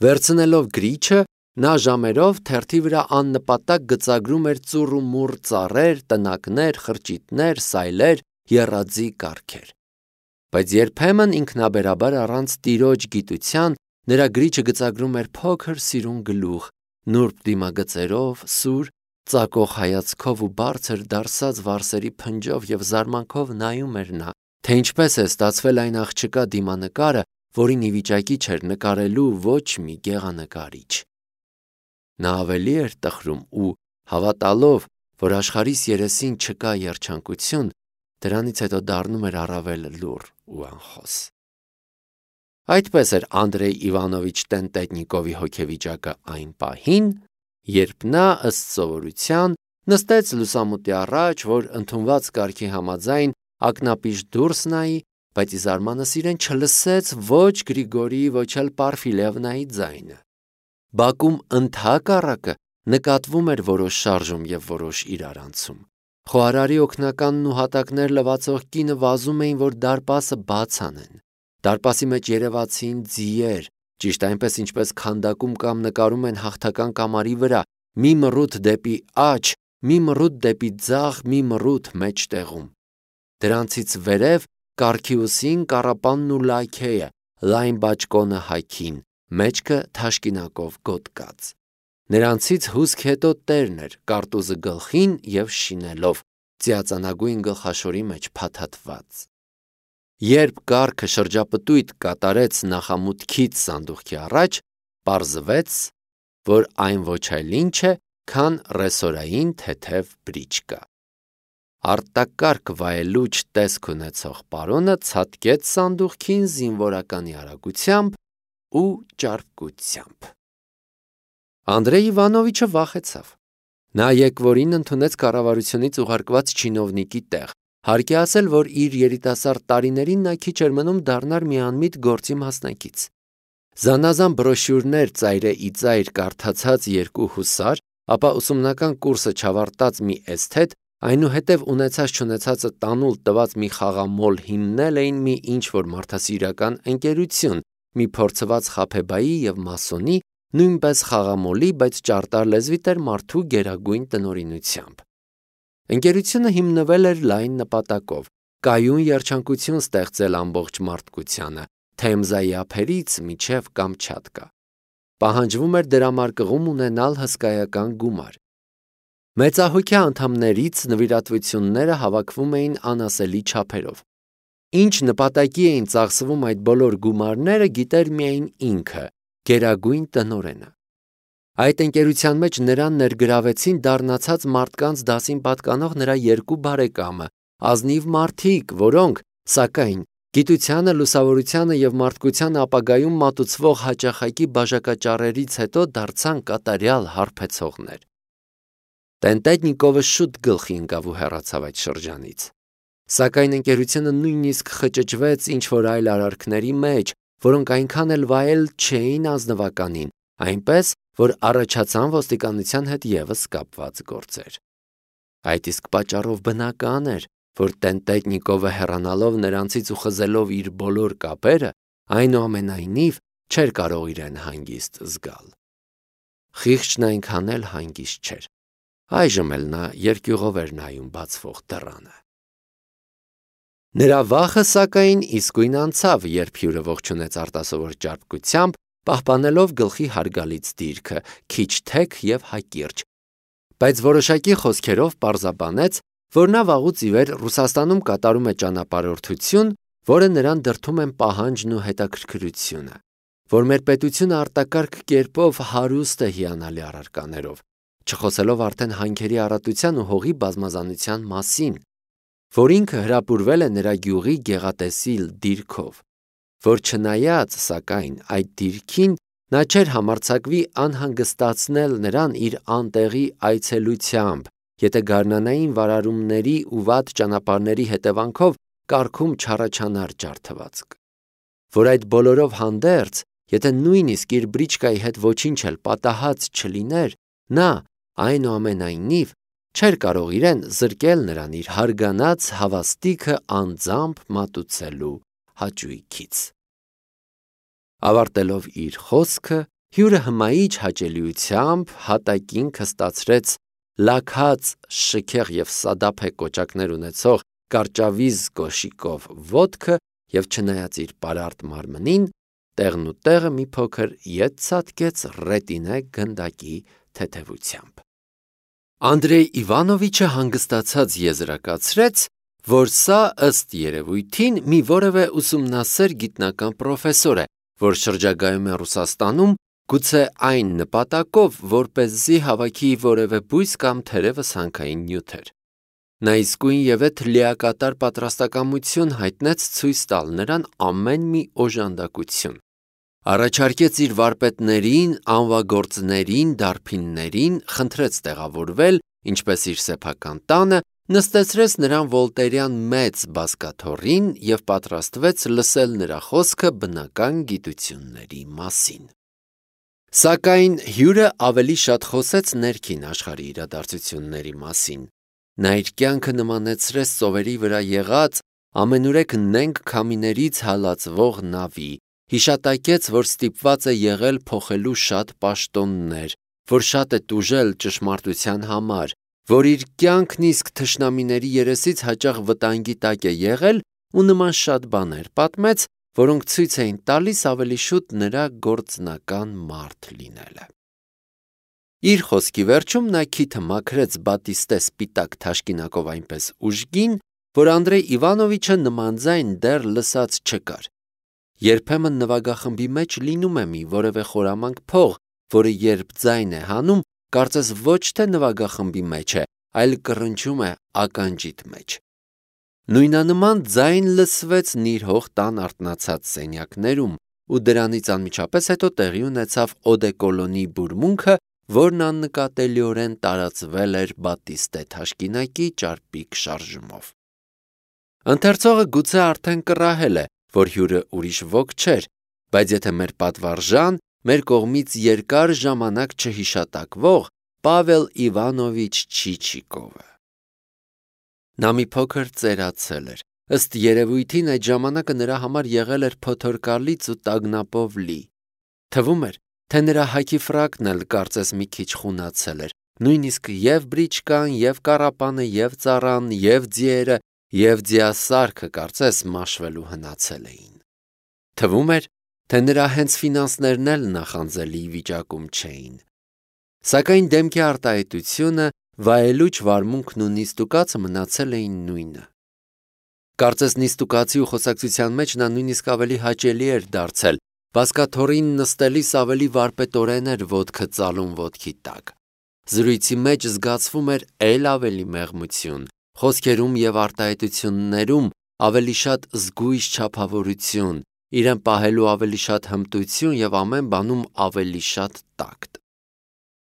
Վերցնելով գրիչը, նա ժամերով թերթի վրա աննպատակ գծագրում էր ծուռ ու մուռ ծառեր, տնակներ, խրճիթներ, սայլեր, եռաձի կառքեր։ Բայց երբեմն ինքնաբերաբար առանց տիրոջ գիտության նրա գրիչը գծագրում էր փոքր սիրուն գլուխ, նուրբ դիմագծերով, սուր, ծակող հայացքով ու բարձր դարսած վարսերի փնջով և զարմանքով նայում էր նա, թե ինչպես է ստացվել այն աղջկա դիմանկարը, որին ի վիճակի չէր նկարելու ոչ մի գեղանկարիչ։ Նա ավելի էր տխրում ու, հավատալով, որ աշխարհիս երեսին չկա երջանկություն, դրանից հետո դառնում էր առավել լուռ ու անխոս։ Այդպես էր Անդրեյ Իվանովիչ Տենտետնիկովի հոգեվիճակը այն պահին, երբ նա ըստ սովորության նստեց լուսամուտի առաջ, որ ընդունված կարգի համաձայն ակնապիշ դուրս նայի, բայց ի զարմանս իրեն չլսեց ոչ Գրիգորիի, ոչ էլ Պարֆիլևնայի ձայնը։ Բակում ընդհակառակը նկատվում էր որոշ շարժում և որոշ իրարանցում։ Խոհարարի օգնականն ու հատակներ լվացող կինը վազում էին, որ դարպասը բաց անեն։ Դարպասի մեջ երևացին ձիեր, ճիշտ այնպես ինչպես քանդակում կամ նկարում են հաղթական կամարի վրա, մի մռութ դեպի աջ, մի մռութ դեպի ձախ, մի մռութ մեջտեղում։ Դրանցից վերև կառքի ուսին կառապանն ու լաքեյը, լայն բաճկոնը հագին, մեջքը թաշկինակով գոտկած։ Նրանցից հուսք հետո տերն էր, կարտուզը գլխին և շինելով, ծիածանագույն գլխաշորի մեջ փաթաթված։ Երբ կառքը շրջապտույտ կատարեց նախամուտքից սանդուղքի առաջ, պարզվեց, որ այն ոչ այլ ինչ է, քան ռեսորային թեթև բրիչկա։ Արտակարգ վայելուչ տեսք ունեցող պարոնը ցատկեց սանդուղքին զինվորականի արագությամբ ու ճարպկությամբ։ Անդրեյ Իվանովիչը վախեցավ։ Նա եկվորին ընդունեց կառավարությունից ուղարկված չինովնիկի տեղ, հարկ է ասել, որ իր երիտասարդ տարիներին նա քիչ էր մնում դառնար մի անմիտ գործի մասնակից։ Զանազան բրոշյուրներ ծայրե ի ծայր կարդացած երկու հուսար, ապա ուսումնական կուրսը չավարտած մի էսթետ, այնուհետև ունեցած-չունեցածը տանուլ տված մի խաղամոլ հիմնել էին մի ինչ-որ մարդասիրական ընկերություն, մի փորձված խաբեբայի և մասոնի, նույնպես խաղամոլի, բայց ճարտար լեզվի տեր մարդու գերագույն տնօրինությամբ։ Ընկերությունը հիմնվել էր լայն նպատակով՝ կայուն երջանկություն ստեղծել ամբողջ մարդկությանը, Թեմզայի ափերից մինչև Կամչատկա։ Պահանջվում էր դրամարկղում ունենալ հսկայական գումար։ Մեծահոգյա անդամներից նվիրատվությունները հավաքվում էին անասելի չափերով։ Ինչ նպատակի էին ծախսվում այդ բոլոր գումարները, գիտեր միայն ինքը, գերագույն տնօրենը։ Այդ ընկերության մեջ նրան ներգրավեցին դառնացած մարդկանց դասին պատկանող նրա երկու բարեկամը, ազնիվ մարդիկ, որոնք, սակայն, գիտությանը, լուսավորությանը և մարդկությանը ապագայում մատուցվող հաճախակի բաժակաճառերից հետո դարձան կատարյալ հարբեցողներ։ Տենտետնիկովը շուտ գլխի ընկավ ու հեռացավ այդ շրջանից։ Սակայն ընկերությունը նույնիսկ խճճվեց ինչ-որ այլ արարքների մեջ, որոնք այնքան էլ վայել չէին ազնվականին, այնպես, որ առաջացան ոստիկանության հետ ևս կապված գործեր։ Այդ իսկ պատճառով բնական էր, որ Տենտետնիկովը հեռանալով նրանցից ու խզելով իր բոլոր կապերը, այնուամենայնիվ չէր կարող իրեն հանգիստ զգալ։ Խիղճն այնքան էլ հանգիստ չէր։ Այժմ էլ նա երկյուղով էր նայում բացվող դռանը։ Նրա վախը, սակայն, իսկույն անցավ, երբ հյուրը ողջունեց արտասովոր ճարպկությամբ, պահպանելով գլխի հարգալից դիրքը, քիչ թեք և հակիրճ, բայց որոշակի խոսքերով պարզաբանեց, որ նա վաղուց ի վեր Ռուսաստանում կատարում է ճանապարհորդություն, որը նրան դրդում են պահանջն ու հետաքրքրությունը, որ մեր պետությունը արտակարգ կերպով հարուստ է հիանալի առարկաներով, չխոսելով արդեն հանքերի առատության ու հողի բազմազանության մասին, որ ինքը հրապուրվել է նրա գյուղի գեղատեսիլ դիրքով, որ չնայած, սակայն, այդ դիրքին նա չէր համարձակվի անհանգստացնել նրան իր անտեղի այցելությամբ, եթե գարնանային վարարումների ու վատ ճանապարհների հետևանքով կառքում չառաջանար ջարդվածք, որ այդ բոլորով հանդերձ, եթե նույնիսկ իր բրիչկայի հետ ոչինչ էլ պատահած չլիներ, նա, այնուամենայնիվ, չէր կարող իրեն զրկել նրան իր հարգանած հավաստիքը անձամբ մատուցելու հաճույքից։ Ավարտելով իր խոսքը Հյուրը հմայիչ հաճելիությամբ հատակին քստացրեց լաքած շքեղ և սադափե կոճակներ ունեցող կարճավիզ կոշիկով ոտքը և չնայած իր պարարտ մարմնին, տեղն ու տեղը մի փոքր ետ ցատկեց ռետինե գնդակի թեթևությամբ։ Անդրեյ Իվանովիչը հանգստացած եզրակացրեց, որ սա ըստ երևույթին մի որևէ ուսումնասեր գիտնական պրոֆեսոր է, որ շրջագայում է Ռուսաստանում, գուցե այն նպատակով, որպեսզի հավաքի որևէ բույս կամ թերևս հանքային նյութեր։ Նա իսկույնևեթ լիակատար պատրաստակամություն հայտնեց ցույց տալ նրան ամեն մի օժանդակություն։ Առաջարկեց իր վարպետներին, անվագործներին, դարբիններին, խնդրեց տեղավորվել, ինչպես իր սեփական տանը, նստեցրեց նրան վոլտերյան մեծ բազկաթոռին և պատրաստվեց լսել նրա խոսքը բնական գիտությունների մասին։ Սակայն հյուրը ավելի շատ խոսեց ներքին աշխարհի իրադարձությունների մասին։ Նա իր կյանքը նմանեցրեց ծովերի վրա եղած ամենուրեք նենգ քամիներից հալածվող նավի, հիշատակեց, որ ստիպված է եղել փոխելու շատ պաշտոններ, որ շատ է տուժել ճշմարտության համար, որ իր կյանքն իսկ թշնամիների երեսից հաճախ վտանգի տակ է եղել ու նման շատ բաներ պատմեց, որոնք ցույց էին տալիս ավելի շուտ նրա գործնական մարդ լինելը։ Իր խոսքի վերջում նա քիթը մաքրեց բատիստե սպիտակ թաշկինակով այնպես ուժգին, որ Անդրեյ Իվանովիչը նմանձայն դեռ լսած չկար։ Երբեմն նվագախմբի մեջ լինում է մի որևէ խորամանկ փող, որը երբ ձայն է հանում, կարծես ոչ թե նվագախմբի մեջ է, այլ կռնչում է ականջիդ մեջ։ Նույնանման ձայն լսվեց Նիրհող տան արթնացած սենյակներում, ու դրանից անմիջապես հետո տեղի ունեցավ օդեկոլոնի բուրմունքը, որն աննկատելիորեն տարածվել էր բատիստե թաշկինակի ճարպիկ շարժումով։ Ընթերցողը գուցե արդեն կռահել է, որ հյուրը ուրիշ ոք չէր, բայց եթե մեր պատվարժան, մեր կողմից երկար ժամանակ չհիշատակվող Պավել Իվանովիչ Չիչիկովը։ Նա մի փոքր ծերացել էր։ Ըստ երևույթին այդ ժամանակը նրա համար եղել էր փոթորկալից ու տագնապով լի։ Թվում էր, թե նրա հագի ֆրակն էլ կարծես մի քիչ խունացել էր, նույնիսկ և բրիչկան, և կառապանը, և ծառան, և ձիերը, և ձիասարքը կարծես մաշվելու հնացել էին։ Թվում էր, թե նրա հենց ֆինանսներն էլ նախանձելի վիճակում չէին։ Սակայն դեմքի արտահայտությունը, վայելուչ վարմունքն ու նիստուկացը մնացել էին նույնը։ Կարծես նիստուկացի ու խոսակցության մեջ նա նույնիսկ ավելի հաճելի էր դարձել, բազկաթոռին նստելիս ավելի վարպետորեն էր ոտքը ծալում ոտքի տակ։ Զրույցի մեջ զգացվում էր էլ ավելի մեղմություն, խոսքերում և արտահայտություններում ավելի շատ զգույշ չափավորություն, իրեն պահելու ավելի շատ հմտություն և ամեն բանում ավելի շատ տակտ։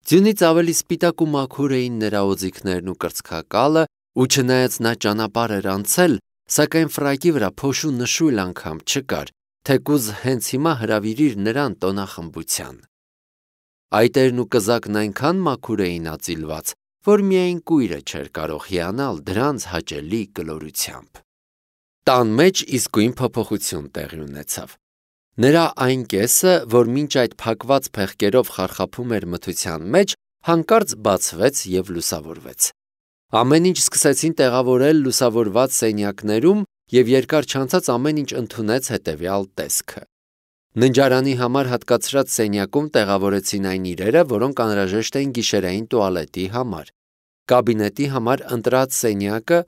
Ձյունից ավելի սպիտակ ու մաքուր էին նրա օձիքներն ու կրծքակալը, ու չնայած նա ճանապարհ էր անցել, սակայն ֆրակի վրա փոշու նշույլ անգամ չկար, թեկուզ հենց հիմա հրավիրիր նրան տոնախմբության։ Այտերն ու կզակն այնքան մաքուր էին ածիլված, որ միայն կույրը չէր կարող հիանալ դրանց հաճելի կլորությամբ։ Տան մեջ իսկույն փոփոխություն տեղի ունեցավ։ Նրա այն կեսը, որ մինչ այդ փակված փեղկերով խարխափում էր մթության մեջ, հանկարծ բացվեց և լուսավորվեց։ Ամեն ինչ սկսեցին տեղավորել լուսավորված սենյակներում, և երկար չանցած ամեն ինչ ընդունեց հետևյալ տեսքը։ Ննջարանի համար հատկացրած սենյակում տեղավորեցին այն իրերը, որոնք անհրաժեշտ էին գիշերային տուալետի համար։ Կաբինետի համար ընտրած սենյակը,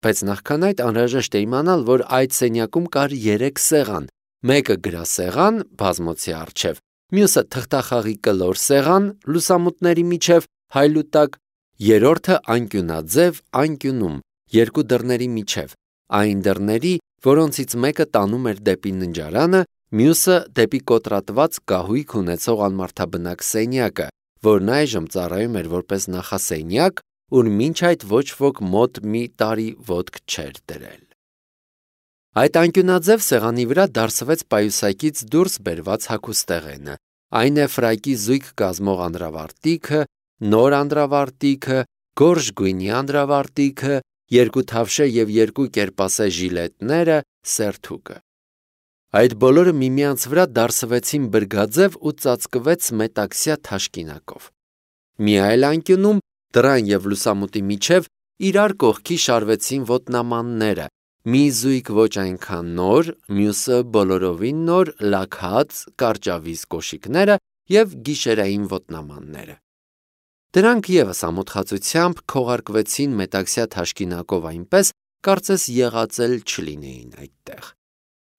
բայց նախքան այդ անհրաժեշտ է իմանալ, որ այդ սենյակում կար 3 սեղան, մեկը գրասեղան, բազմոցի առջև, մյուսը թղթախաղի կլոր սեղան, լուսամուտների միջև, հայլուտակ, երրորդը անկյունաձև անկյունում, 2 դռների միջև, այն դռների, որոնցից մեկը տանում էր դեպի ննջարանը, մյուսը դեպի կոտրատված կահույք ունեցող անմարդաբնակ սենյակը, որն այժմ ծառայում էր որպես նախասենյակ, ուր մինչ այդ ոչ ոք մոտ մի տարի ոտք չէր դրել։ Այդ անկյունաձև սեղանի վրա դարսվեց պայուսակից դուրս բերված հագուստեղենը, այն է ֆրակի զույգ կազմող անդրավարտիքը, նոր անդրավարտիքը, գորշ գույնի անդրավարտիքը, 2 թավշե և 2 կերպասե ժիլետները, սերթուկը։ Այդ բոլորը միմյանց վրա դարսվեցին բրգաձև ու ծածկվեց մետաքսյա թաշկինակով։ Մի այլ անկյունում, դռան և լուսամուտի միջև, իրար կողքի շարվեցին ոտնամանները, մի զույգ ոչ այնքան նոր, մյուսը բոլորովին նոր, լաքած, կարճավիզ կոշիկները և գիշերային ոտնամանները։ Դրանք ևս ամոթխածությամբ քողարկվեցին մետաքսյա թաշկինակով այնպես, կարծես եղած էլ չլինեին այդտեղ։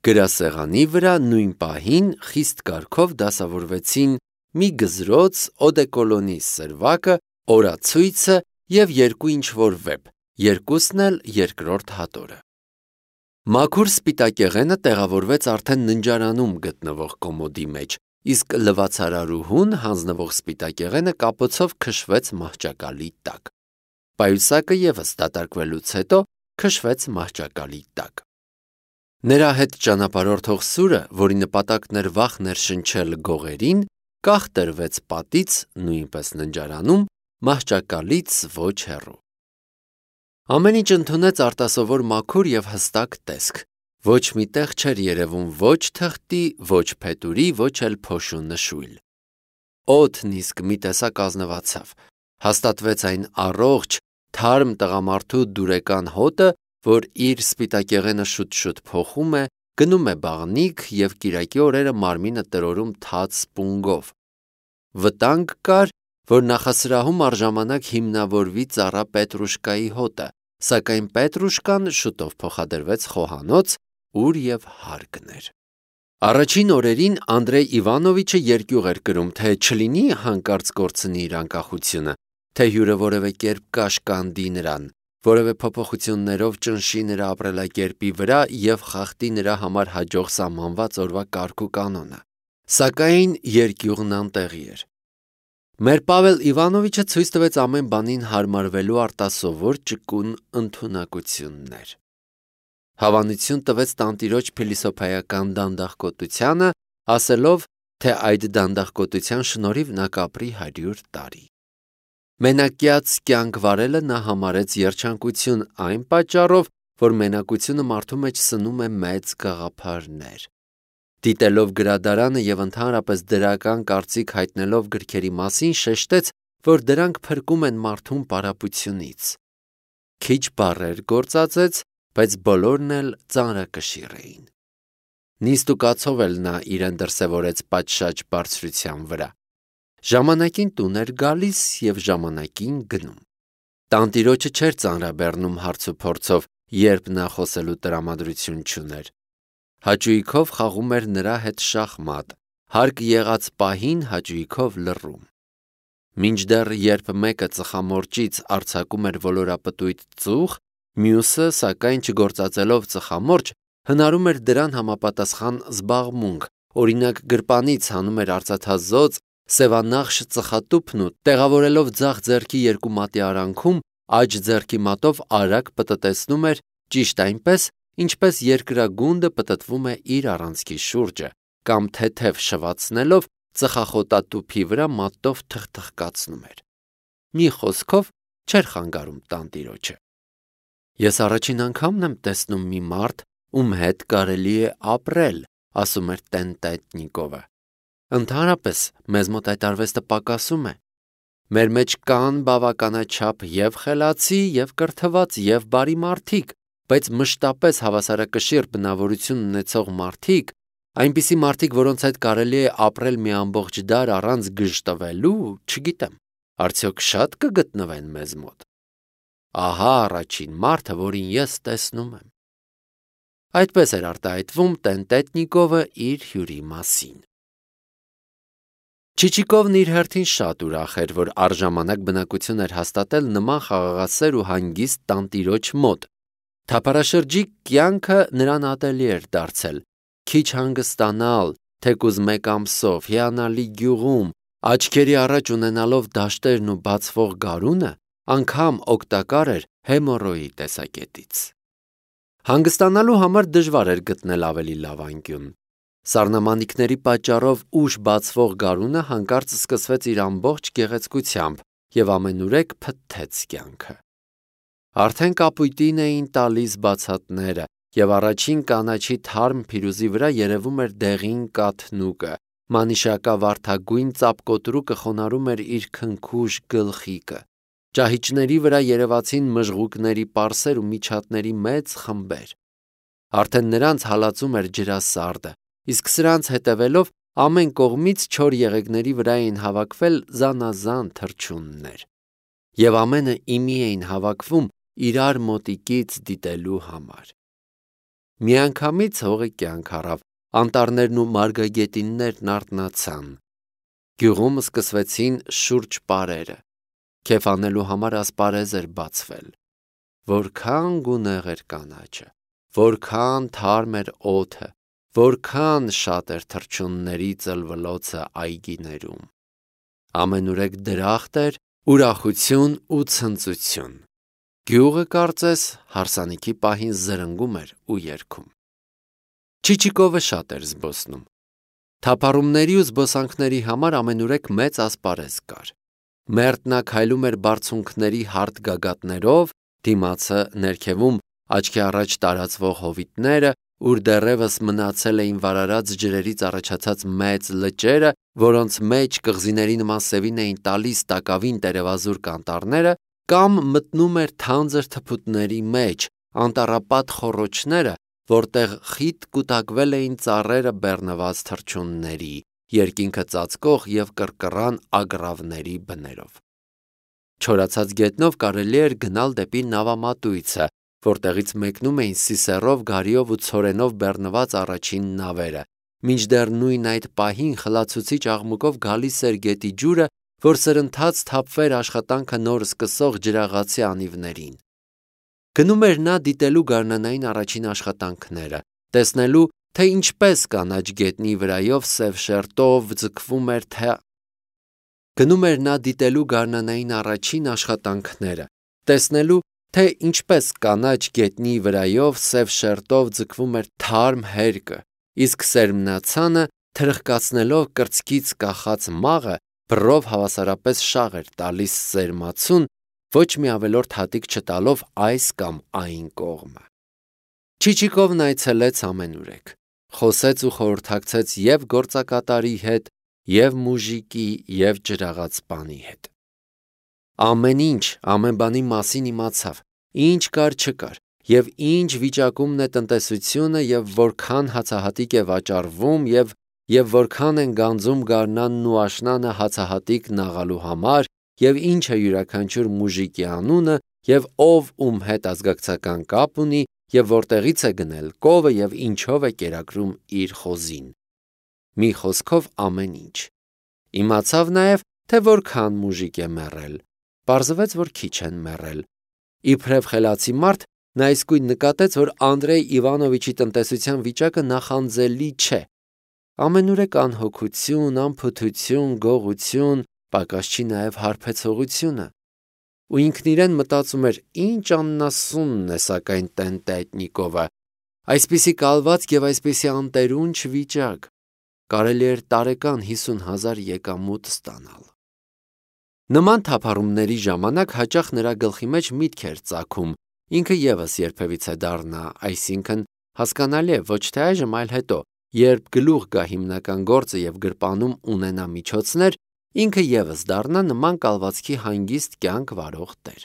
Գրասեղանի վրա նույն պահին խիստ կարգով դասավորվեցին մի գզրոց, օդեկոլոնի սրվակը, օրացույցը և երկու ինչ-որ վեպ, երկուսն էլ երկրորդ հատորը։ Մաքուր սպիտակեղենը տեղավորվեց արդեն ննջարանում գտնվող կոմոդի մեջ, իսկ լվացարարուհուն հանձնվող սպիտակեղենը կապոցով քշվեց մահճակալի տակ։ Պայուսակը ևս դատարկվելուց հետո քշվեց մահճակալի տակ։ Նրա հետ ճանապարհորդող սուրը, որի նպատակն էր վախ ներշնչել գողերին, կախ տրվեց պատից, նույնպես ննջարանում, մահճակալից ոչ հեռու։ Ամեն ինչ ընդունեց արտասովոր մաքուր և հստակ տեսք։ Ոչ մի տեղ չէր երևում ոչ թղթի, ոչ փետուրի, ոչ էլ փոշու նշույլ։ Օդն իսկ մի տեսակ ազնվացավ։ Հաստատվեց այն առողջ, թարմ տղամարդու դուրեկան հոտը, որ իր սպիտակեղենը շուտ-շուտ փոխում է, գնում է բաղնիք և կիրակի օրերը մարմինը տրորում թաց սպունգով։ Վտանգ կար, որ նախասրահում առժամանակ հիմնավորվի ծառա Պետրուշկայի հոտը, սակայն Պետրուշկան շուտով փոխադրվեց խոհանոց, ուր և հարկն էր։ Առաջին օրերին Անդրեյ Իվանովիչը երկյուղ էր կրում, թե չլինի հանկարծ կորցնի իր անկախությունը, թե հյուրը որևէ կերպ կաշկանդի նրան, որևէ փոփոխություններով ճնշի նրա ապրելակերպի վրա և խախտի նրա համար հաջող սահմանված օրվա կարգ ու կանոնը։ Սակայն երկյուղն անտեղի էր։ Մեր Պավել Իվանովիչը ցույց տվեց ամեն բանին հարմարվելու արտասովոր ճկուն ընդունակություններ։ Հավանություն տվեց տանտիրոջ փիլիսոփայական դանդաղկոտությանը, ասելով, թե այդ դանդաղկոտության շնորհիվ նա կապրի 100 տարի։ Մենակյաց կյանք վարելը նա համարեց երջանկություն այն պատճառով, որ մենակությունը մարդու մեջ սնում է մեծ գաղափարներ։ Դիտելով գրադարանը և ընդհանրապես դրական կարծիք հայտնելով գրքերի մասին, շեշտեց, որ դրանք փրկում են մարդուն պարապությունից։ Քիչ բառեր գործածեց, բայց բոլորն էլ ծանրակշիռ էին։ Նիստ ու կացով էլ նա իրեն դրսևորեց պատշաճ բարձրության վրա։ Ժամանակին տուն էր գալիս և ժամանակին գնում։ Տանտիրոջը չէր ծանրաբեռնում հարց ու փորձով, երբ նա խոսելու տրամադրություն չուներ։ Հաճույքով խաղում էր նրա հետ շախմատ, հարկ եղած պահին հաճույքով լռում։ Մինչդեռ երբ մեկը ծխամորճից արձակում էր ոլորապտույտ ծուխ, մյուսը, սակայն չգործածելով ծխամորճ, հնարում էր դրան համապատասխան զբաղմունք, օրինակ գրպանից հանում էր արծաթազոծ, սևանախշ ծխատուփն ու տեղավորելով ձախ ձեռքի երկու մատի արանքում, աջ ձեռքի մատով արագ պտտեցնում էր, ճիշտ այնպես, ինչպես երկրագունդը պտտվում է իր առանցքի շուրջը, կամ թեթև շվացնելով ծխախոտատուփի վրա մատով թխթխկացնում էր։ Մի խոսքով չէր խանգարում տանտիրոջը։ Ես առաջին անգամն եմ տեսնում մի մարդ, ում հետ կարելի է ապրել, ասում էր Տեն-Տետնիկովը։ Ընդհանրապես, մեզ մոտ այդ արվեստը պակասում է։ Մեր մեջ կան բավականաչափ և խելացի, և կրթված, և բարի մարդիկ, բայց մշտապես հավասարակշիռ բնավորություն ունեցող մարդիկ, այնպիսի մարդիկ, որոնց հետ կարելի է ապրել մի ամբողջ դար առանց գժտվելու, չգիտեմ, արդյոք շատ կգտնվեն մեզ մոտ։ Ահա առաջին մարդը, որին ես տեսնում եմ։ Այդպես էր արտահայտվում Տեն-Տետնիկովը իր հյուրի մասին։ Չիչիկովն իր հերթին շատ ուրախ էր, որ առժամանակ բնակություն էր հաստատել նման խաղաղասեր ու հանգիստ տանտիրոջ մոտ։ Թափառաշրջիկ կյանքը նրան ատելի էր դարձել։ Քիչ հանգստանալ, թեկուզ մեկ ամսով, հիանալի գյուղում, աչքերի առաջ ունենալով դաշտերն ու բացվող գարունը, անգամ օգտակար էր հեմոռոյի տեսակետից։ Հանգստանալու համար դժվար էր գտնել ավելի լավ անկյուն։ Սառնամանիքների պատճառով ուշ բացվող գարունը հանկարծ սկսվեց իր ամբողջ գեղեցկությամբ և ամենուրեք փթթեց կյանքը։ Արդեն կապույտին էին տալիս բացատները, եւ առաջին կանաչի թարմ փիրուզի վրա երևում էր դեղին կաթնուկը, մանիշակավարդագույն ծապկոտրուկը խոնարհում էր իր քնքուշ գլխիկը, ճահիճների վրա երևացին մժղուկների պարսեր ու միջատների մեծ խմբեր, արդեն նրանց հալածում էր ջրասարդը, իսկ սրանց հետևելով ամեն կողմից չոր եղեգների վրա էին հավաքվել զանազան թռչուններ, եւ ամենը իմի էին հավաքվում իրար մոտիկից դիտելու համար։ Միանգամից հողը կյանք առավ, անտառներն ու մարգագետիններն արթնացան, գյուղում սկսվեցին շուրջ պարերը, քեֆ անելու համար ասպարեզ էր բացվել, որքան գունեղ էր կանաչը, որքան թարմ էր օդը, որքան շատ էր թռչունների ծլվլոցը այգիներում, ամենուրեք դրախտ էր, ուրախություն ու ցնծություն, գյուղը կարծես հարսանիքի պահին զրնգում էր ու երգում։ Չիչիկովը շատ էր զբոսնում, թափառումների ու զբոսանքների համար ամենուրեք մեծ ասպարեզ կար, մերթ նա քայլում էր բարձունքների հարթ գագաթներով, դիմացը ներքևում աչքի առաջ տարածվող հովիտները, ուր դեռևս մնացել էին վարարած ջրերից առաջացած մեծ լճերը, որոնց մեջ կղզիների նման սևին էին տալիս տակավին տերևազուրկ անտառները, կամ մտնում էր թանձր թփուտների մեջ, անտառապատ խոռոչները, որտեղ խիտ կուտակվել էին ծառերը բեռնված թռչունների, երկինքը ծածկող եւ կռկռան ագռավների բներով։ Չորացած գետնով կարելի էր գնալ դեպի նավամատույցը, որտեղից մեկնում էին սիսեռով, գարիով ու ցորենով բեռնված առաջին նավերը, մինչդեռ նույն այդ պահին խլացուցիչ աղմուկով գալիս էր գետի ջուրը, որ սրընթաց թափվեր աշխատանքը նոր սկսող ջրաղացի անիվներին։ Գնում էր նա դիտելու գարնանային առաջին աշխատանքները, տեսնելու, թե ինչպես կանաչ գետնի վրայով սև շերտով ձգվում էր Գնում էր նա դիտելու գարնանային առաջին աշխատանքները, տեսնելու, թե ինչպես կանաչ գետնի վրայով սև շերտով ձգվում էր թարմ հերկը, իսկ սերմնացանը թրխկացնելով կրծքից կախած մաղը, բռով հավասարապես շաղ էր տալիս սերմացուն, ոչ մի ավելորդ հատիկ չտալով այս կամ այն կողմը։ Չիչիկովն այցելեց ամենուրեք, խոսեց ու խորհրդակցեց եւ գործակատարի հետ, եւ մուժիկի, եւ ջրաղացպանի հետ։ Ամեն ինչ, ամեն բանի մասին իմացավ, ինչ կար չկար, եւ ինչ վիճակումն է տնտեսությունը, եւ որքան հացահատիկ է վաճառվում, եւ որքան են գանձում գարնանն ու աշնանը հացահատիկ նաղալու համար, եւ ինչ է յուրաքանչյուր մուժիկի անունը, եւ ով ում հետ ազգակցական կապ ունի, եւ որտեղից է գնել կովը եւ ինչով է կերակրում իր խոզին։ Մի խոսքով ամեն ինչ։ Իմացավ նաեւ, թե որքան մուժիկ է մեռել։ Պարզվեց, որ քիչ են մեռել։ Իբրև խելացի մարդ, նա իսկույն նկատեց, որ Անդրեյ Իվանովիչի տնտեսության վիճակը նախանձելի չէ։ Ամենուրեք անհոգություն, անփութություն, գողություն, պակաս չի նաև հարբեցողությունը։ Ու ինքն իրեն մտածում էր, ինչ աննասունն է սակայն Տենտետնիկովը, այսպիսի կալվածք եւ այսպիսի անտերունչ վիճակ, կարելի էր տարեկան 50,000 եկամուտ ստանալ։ Նման թափառումների ժամանակ հաճախ նրա գլխի մեջ միտք էր ծագում, ինքը եւս երբևիցե դառնա, այսինքն հասկանալի է ոչ թե այժմ, այլ հետո, երբ գլուխ գա հիմնական գործը եւ գրպանում ունենա միջոցներ, ինքը եւս դառնա նման կալվածքի հանգիստ կյանք վարող տեր։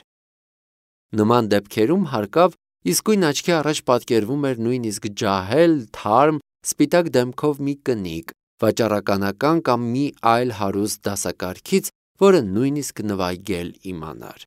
Նման դեպքերում հարկավ իսկույն աչքի առաջ պատկերվում էր նույնիսկ ջահել, թարմ, սպիտակ դեմքով մի կնիկ, վաճառականական կամ մի այլ հարուստ դասակարգից, որը նույնիսկ նվագել իմանար։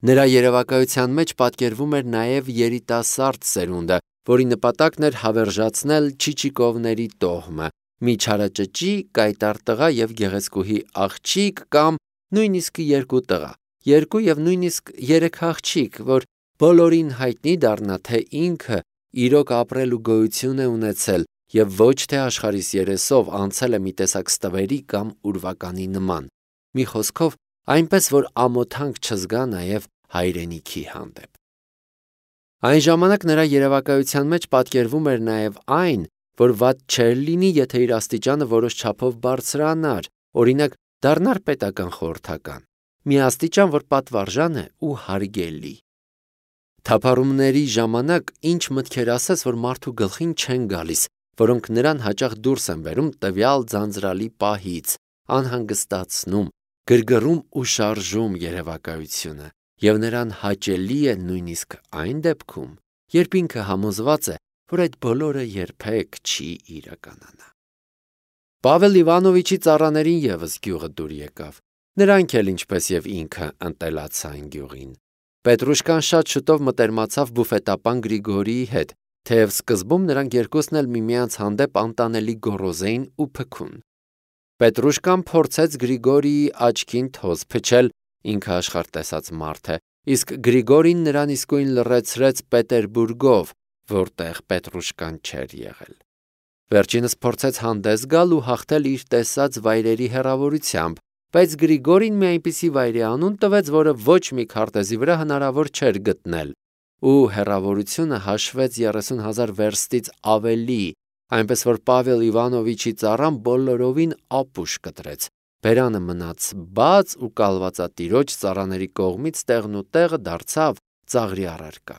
Նրա երևակայության մեջ պատկերվում էր նաև երիտասարդ սերունդը, որի նպատակն էր հավերժացնել Չիչիկովների տոհմը, մի չարաճճի, կայտառ տղա եւ գեղեցկուհի աղջիկ կամ նույնիսկ երկու տղա, երկու եւ նույնիսկ երեք աղջիկ, որ բոլորին հայտնի դառնա, թե ինքը իրոք ապրել ու գոյություն է ունեցել եւ ոչ թե աշխարհիս երեսով անցել է մի տեսակ ստվերի կամ ուրվականի նման։ Մի խոսքով, այնպես որ ամոթանք չզգա նաև հայրենիքի հանդեպ։ Այն ժամանակ նրա երևակայության մեջ պատկերվում էր նաև այն, որ վատ չէր լինի, եթե իր աստիճանը որոշ չափով բարձրանար, օրինակ դառնար պետական խորհրդական, մի աստիճան, որ պատվարժան է ու հարգելի։ Թափառումների ժամանակ ինչ մտքեր ասես, որ մարդու գլխին չեն գալիս, որոնք նրան հաճախ դուրս են բերում տվյալ ձանձրալի պահից, անհանգստացնում, գրգռում ու շարժում երևակայությունը, և նրան հաճելի է նույնիսկ այն դեպքում, երբ ինքը համոզված է, որ այդ բոլորը երբեք չի իրականանա։ Պավել Իվանովիչի ծառաներին ևս գյուղը դուր եկավ, նրանք էլ ինչպես և ինքը ընտելացան գյուղին։ Պետրուշկան շատ շուտով մտերմացավ բուֆետապան Գրիգորիի հետ, թեև սկզբում նրանք երկուսն էլ միմյանց հանդեպ անտանելի գոռոզ էին ու փքուն։ Պետրուշկան փորձեց Գրիգորիի աչքին թոզ փչել, ինքը աշխարհ տեսած մարդ է, իսկ Գրիգորին նրան իսկույն լռեցրեց Պետերբուրգով, որտեղ Պետրուշկան չէր եղել։ Վերջինս փորձեց հանդես գալ ու հաղթել իր տեսած վայրերի հեռավորությամբ, բայց Գրիգորին մի այնպիսի վայրի անուն տվեց, որը ոչ մի քարտեզի վրա հնարավոր չէր գտնել, ու հեռավորությունը հաշվեց 30,000 վերստից ավելի, այնպես որ Պավել Իվանովիչի ծառան բոլորովին ապուշ կտրեց, բերանը մնաց բաց ու կալվածատիրոջ ծառաների կողմից տեղնուտեղը դարձավ ծաղրի առարկա։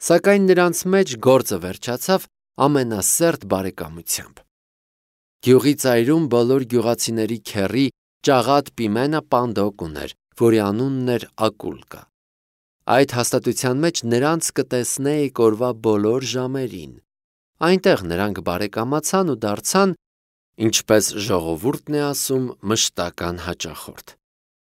Սակայն նրանց մեջ գործը վերջացավ ամենասերտ բարեկամությամբ։ Գյուղի ծայրում բոլոր գյուղացիների քեռի ճաղատ Պիմենը Պանդոկ ուներ, որի անունն էր Ակուլկա։ Այդ հաստատության մեջ նրանց կտեսնեիք օրվա բոլոր ժամերին։ Այնտեղ նրանք բարեկամացան ու դարձան, ինչպես ժողովուրդն է ասում, մշտական հաճախորդ։